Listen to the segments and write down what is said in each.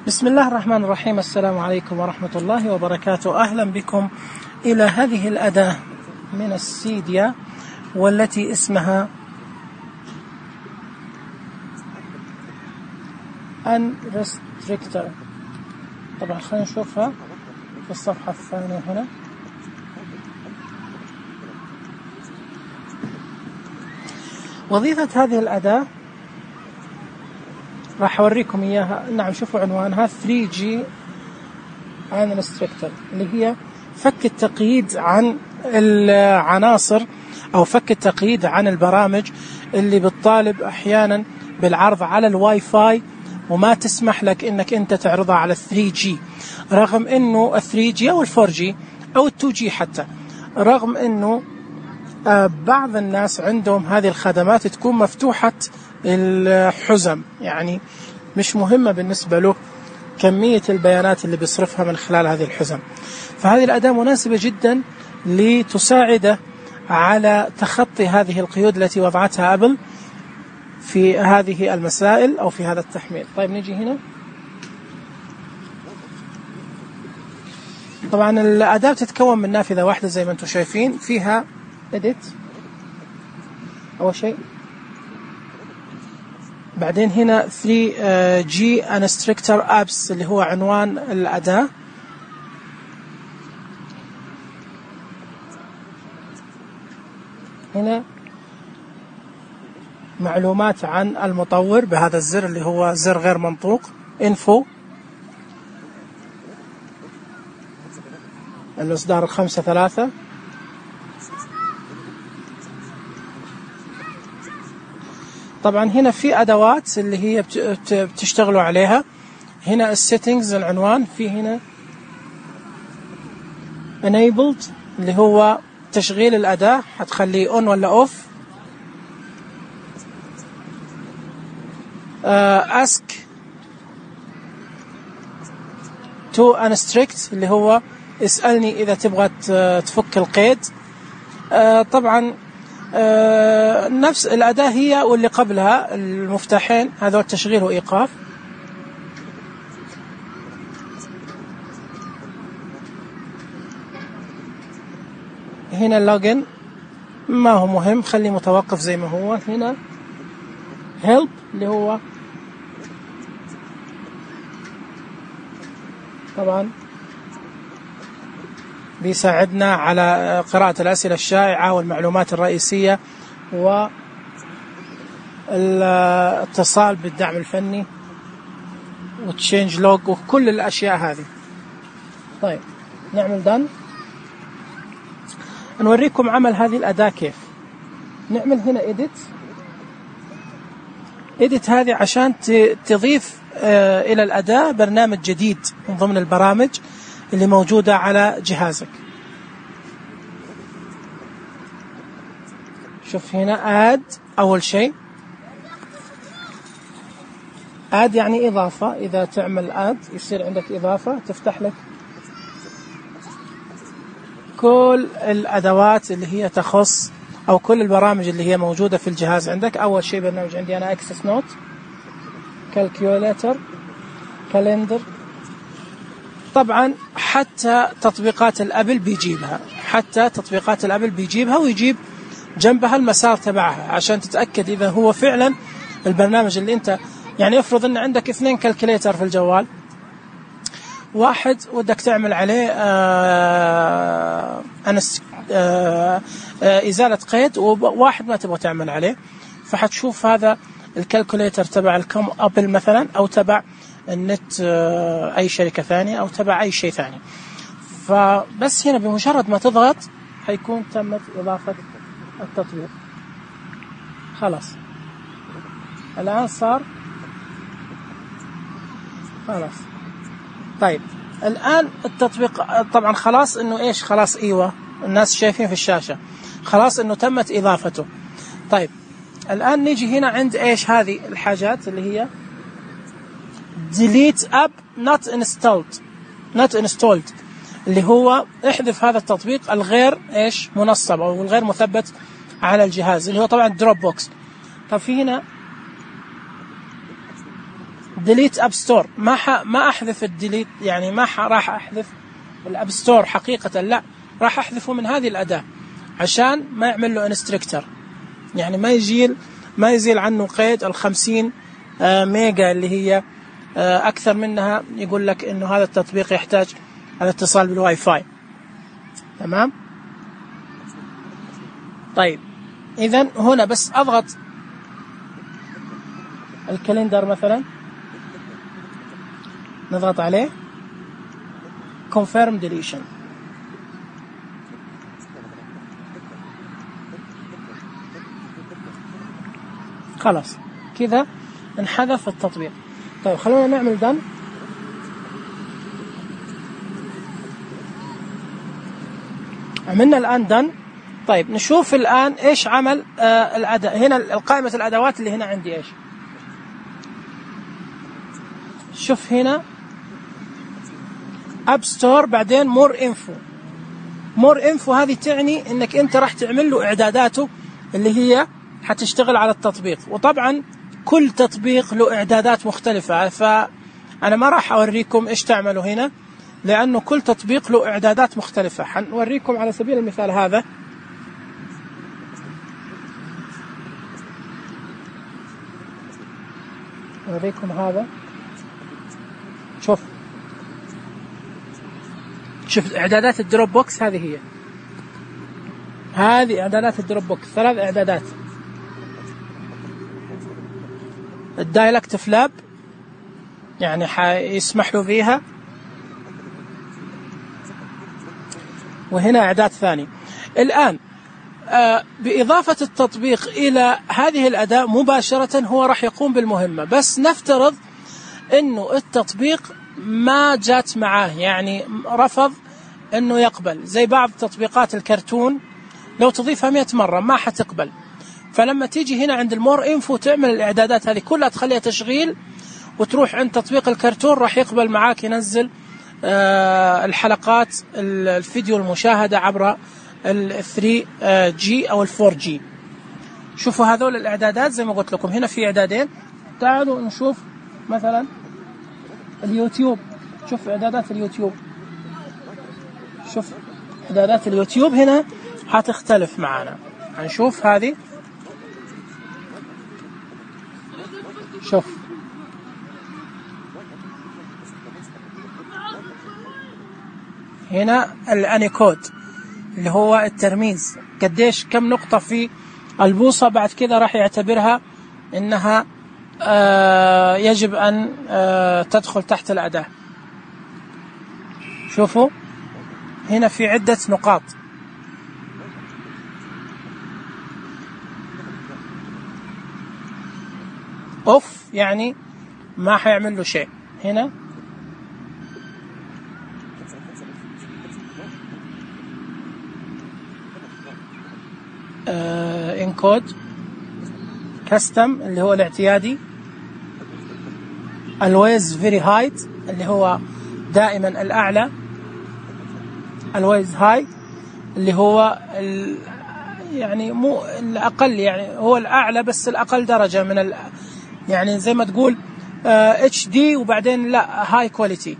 بسم الله الرحمن الرحيم. السلام عليكم ورحمة الله وبركاته. أهلا بكم إلى هذه الأداة من السيديا والتي اسمها Unrestrictor. طبعا خلينا نشوفها في الصفحة الثانية هنا. وظيفة هذه الأداة راح أوريكم إياها. نعم، شوفوا عنوانها 3G Unrestrictor، اللي هي فك التقييد عن العناصر أو فك التقييد عن البرامج اللي بتطالب أحيانا بالعرض على الواي فاي وما تسمح لك إنك أنت تعرضها على 3G، رغم إنه 3G أو 4G أو 2G حتى، رغم إنه بعض الناس عندهم هذه الخدمات تكون مفتوحة الحزم، يعني مش مهمة بالنسبة له كمية البيانات اللي بيصرفها من خلال هذه الحزم. فهذه الأداة مناسبة جدا لتساعده على تخطي هذه القيود التي وضعتها أبل في هذه المسائل أو في هذا التحميل. طيب نيجي هنا. طبعا الأداة تتكون من نافذة واحدة زي ما انتم شايفين، فيها edit أول شيء، بعدين هنا 3G Unrestrictor Apps اللي هو عنوان الأداة، هنا معلومات عن المطور بهذا الزر اللي هو زر غير منطوق، info الإصدار 5.3. طبعا هنا في أدوات اللي هي بتشتغلوا عليها. هنا السيتنجز العنوان، في هنا enabled اللي هو تشغيل الأداة، هتخليه on ولا off. ask to unrestrict اللي هو اسألني إذا تبغى تفك القيد. طبعا نفس الأداة هي واللي قبلها، المفتاحين هذول تشغيل وإيقاف. هنا اللوجن ما هو مهم، خليه متوقف زي ما هو. هنا help اللي هو طبعا بيساعدنا على قراءة الأسئلة الشائعة والمعلومات الرئيسية والاتصال بالدعم الفني وتشينج لوج وكل الأشياء هذه. طيب نعمل دن، نوريكم عمل هذه الأداة كيف. نعمل هنا edit هذه عشان تضيف إلى الأداة برنامج جديد من ضمن البرامج اللي موجودة على جهازك. شوف هنا add، أول شيء add يعني إضافة. إذا تعمل add يصير عندك إضافة، تفتح لك كل الأدوات اللي هي تخص أو كل البرامج اللي هي موجودة في الجهاز عندك. أول شيء برنامج عندي أنا Access Note، Calculator، Calendar. طبعا حتى تطبيقات الأبل بيجيبها، ويجيب جنبها المسار تبعها عشان تتأكد إذا هو فعلا البرنامج اللي أنت، يعني افرض أن عندك 2 كالكوليتر في الجوال، واحد ودك تعمل عليه إزالة قيد، وواحد ما تبغى تعمل عليه، فحتشوف هذا الكالكوليتر تبع الكم أبل مثلا، أو تبع النت أي شركة ثانية، أو تبع أي شيء ثاني. فبس هنا بمجرد ما تضغط حيكون تمت إضافة التطبيق. خلاص الآن صار خلاص. طيب الآن التطبيق طبعا خلاص إنه إيش، خلاص أيوة الناس شايفين في الشاشة، خلاص إنه تمت إضافته. طيب الآن نيجي هنا عند إيش هذه الحاجات اللي هي delete app not installed اللي هو احذف هذا التطبيق الغير إيش منصب أو الغير مثبت على الجهاز، اللي هو طبعا دروب بوكس. طب في هنا ديليت اب ستور، ما احذف الديليت، يعني ما راح احذف الاب ستور حقيقة، لا راح احذفه من هذه الأداة عشان ما يعمل له انستركتر، يعني ما يزيل عنه قيد 50 ميجا اللي هي أكثر منها، يقول لك إنه هذا التطبيق يحتاج الاتصال بالواي فاي. تمام. طيب إذن هنا بس أضغط الكالندر مثلا، نضغط عليه confirm deletion، خلاص كذا انحذف التطبيق. طيب خلونا نعمل done. عملنا الآن done. طيب نشوف الآن إيش عمل الأداة. هنا قائمة الأدوات اللي هنا عندي إيش، شوف هنا App Store، بعدين More Info هذه تعني إنك أنت راح تعمل له إعداداته اللي هي حتشتغل على التطبيق. وطبعا كل تطبيق له إعدادات مختلفة، فأنا ما راح أوريكم إيش تعملوا هنا لأنه كل تطبيق له إعدادات مختلفة. حنوريكم على سبيل المثال هذا، أوريكم هذا، شوف إعدادات الدروب بوكس، هذه إعدادات الدروب بوكس، 3 إعدادات. الدايلكت فلاب يعني حيسمح له فيها، وهنا إعداد ثاني. الآن بإضافة التطبيق إلى هذه الأداة مباشرة هو راح يقوم بالمهمة، بس نفترض إنه التطبيق ما جات معاه، يعني رفض إنه يقبل، زي بعض تطبيقات الكرتون لو تضيفها 100 مرة ما حتقبل. فلما تيجي هنا عند المور انفو تعمل الإعدادات هذه كلها، تخليها تشغيل، وتروح عند تطبيق الكرتون راح يقبل معاك، ينزل الحلقات الفيديو المشاهدة عبر ال 3G أو ال 4G. شوفوا هذول الإعدادات زي ما قلت لكم، هنا في إعدادين. تعالوا نشوف مثلا اليوتيوب، شوف إعدادات اليوتيوب، شوف إعدادات اليوتيوب هنا هتختلف معنا. هنشوف هذه، شوف هنا الأنيكود اللي هو الترميز، قديش كم نقطة في البوصة، بعد كذا راح يعتبرها إنها يجب أن تدخل تحت الأداة. شوفوا هنا في عدة نقاط، أوف يعني ما حيعمل له شيء. هنا انكود كاستم اللي هو الاعتيادي، الويز فيري هايت اللي هو دائما الأعلى، الويز هاي اللي هو يعني مو الأقل، يعني هو الأعلى بس الأقل درجة من يعني زي ما تقول HD وبعدين لا هاي كواليتي،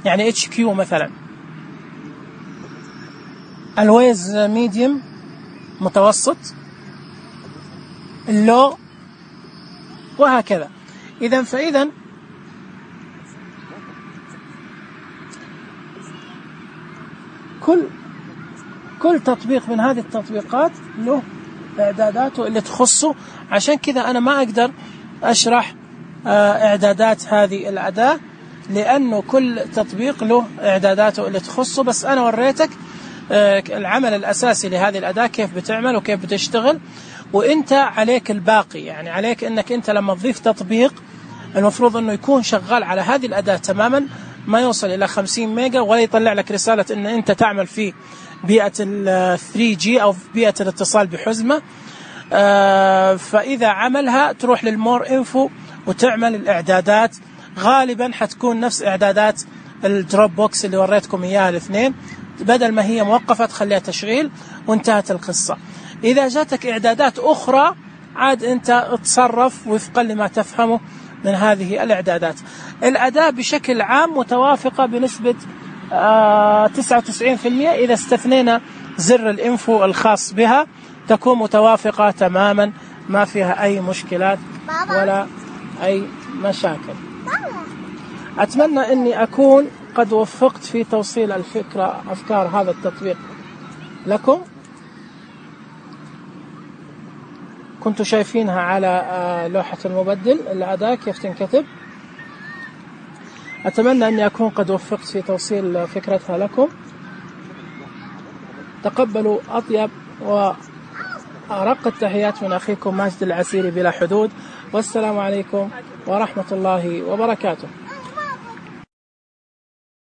يعني HQ مثلا. الويز ميديوم متوسط، اللو، وهكذا. فإذا كل تطبيق من هذه التطبيقات له إعداداته اللي تخصه. عشان كذا أنا ما أقدر أشرح إعدادات هذه الأداة، لأنه كل تطبيق له إعداداته اللي تخصه. بس أنا وريتك العمل الأساسي لهذه الأداة كيف بتعمل وكيف بتشتغل، وإنت عليك الباقي. يعني عليك إنك أنت لما تضيف تطبيق المفروض أنه يكون شغال على هذه الأداة تماما، ما يوصل إلى 50 ميجا، ولا يطلع لك رسالة إن أنت تعمل في بيئة ال 3G أو في بيئة الاتصال بحزمة. فإذا عملها تروح للمور انفو وتعمل الإعدادات، غالبا حتكون نفس إعدادات الدروب بوكس اللي وريتكم إياها الاثنين، بدل ما هي موقفة تخليها تشغيل وانتهت القصة. إذا جاتك إعدادات أخرى عاد أنت اتصرف وفقا لما تفهمه من هذه الإعدادات. الأداة بشكل عام متوافقة بنسبة 99%. إذا استثنينا زر الإنفو الخاص بها تكون متوافقة تماما، ما فيها أي مشكلات ولا أي مشاكل. أتمنى أني أكون قد وفقت في توصيل أفكار هذا التطبيق لكم. كنتوا شايفينها على لوحة المبدل الأداة كيف تنكتب. أتمنى أني أكون قد وفقت في توصيل فكرتها لكم. تقبلوا أطيب وأرق التحيات من أخيكم ماجد العسيري بلا حدود، والسلام عليكم ورحمة الله وبركاته.